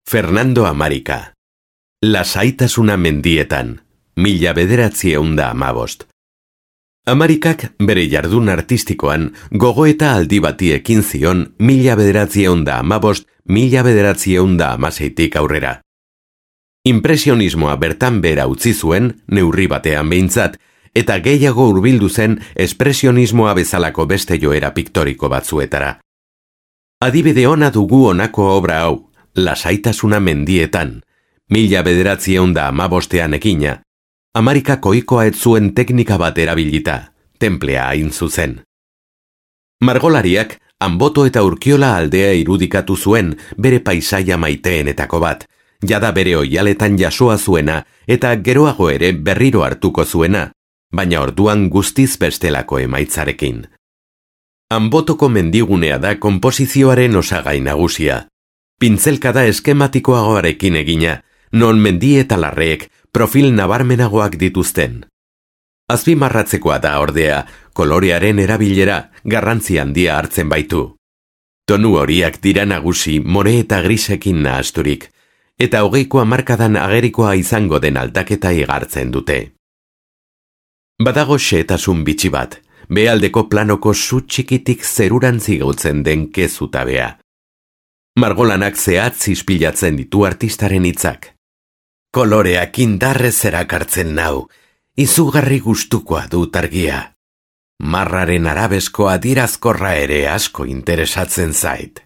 Fernando Amarika. Lasaitasuna mendietan, 1915. Amarikak bere jardun artistikoan gogoeta aldi bati ekin zion 1915-1916 aurrera. Impresionismoa bertan bera utzi zuen, neurri batean behintzat, eta gehiago hurbildu zen espresionismoa bezalako beste joera piktoriko batzuetara. Adibide ona dugu honako obra hau, Lasaitasuna mendietan, 1915 ekina, Amarikak ohikoa ez zuen teknika bat erabilita, tenplea hain zuzen. Margolariak Anboto eta Urkiola aldea irudikatu zuen bere paisaia maiteenetako bat, jada bere oialetan jasoa zuena eta geroago ere berriro hartuko zuena, baina orduan guztiz bestelako emaitzarekin. Anbotoko mendigunea da konposizioaren osagai nagusia. Pintzelkada eskematikoagoarekin egina, non mendi eta larreek profil nabarmenagoak dituzten. Azpimarratzekoa da ordea, kolorearen erabilera garrantzi handia hartzen baitu. Tonu horiak dira nagusi more eta grisekin nahasturik, eta 20ko hamarkadan agerikoa izango den aldaketa igartzen dute. Badago xehetasun bitxi bat, behealdeko planoko su txikitik zerurantzi gautzen den kezutabea. Margolanak zehatz ispilatzen ditu artistaren hitzak. Koloreak indarrez erakartzen nau, izugarri gustukoa dut argia. Marraren arabezko adierazkorra ere asko interesatzen zait.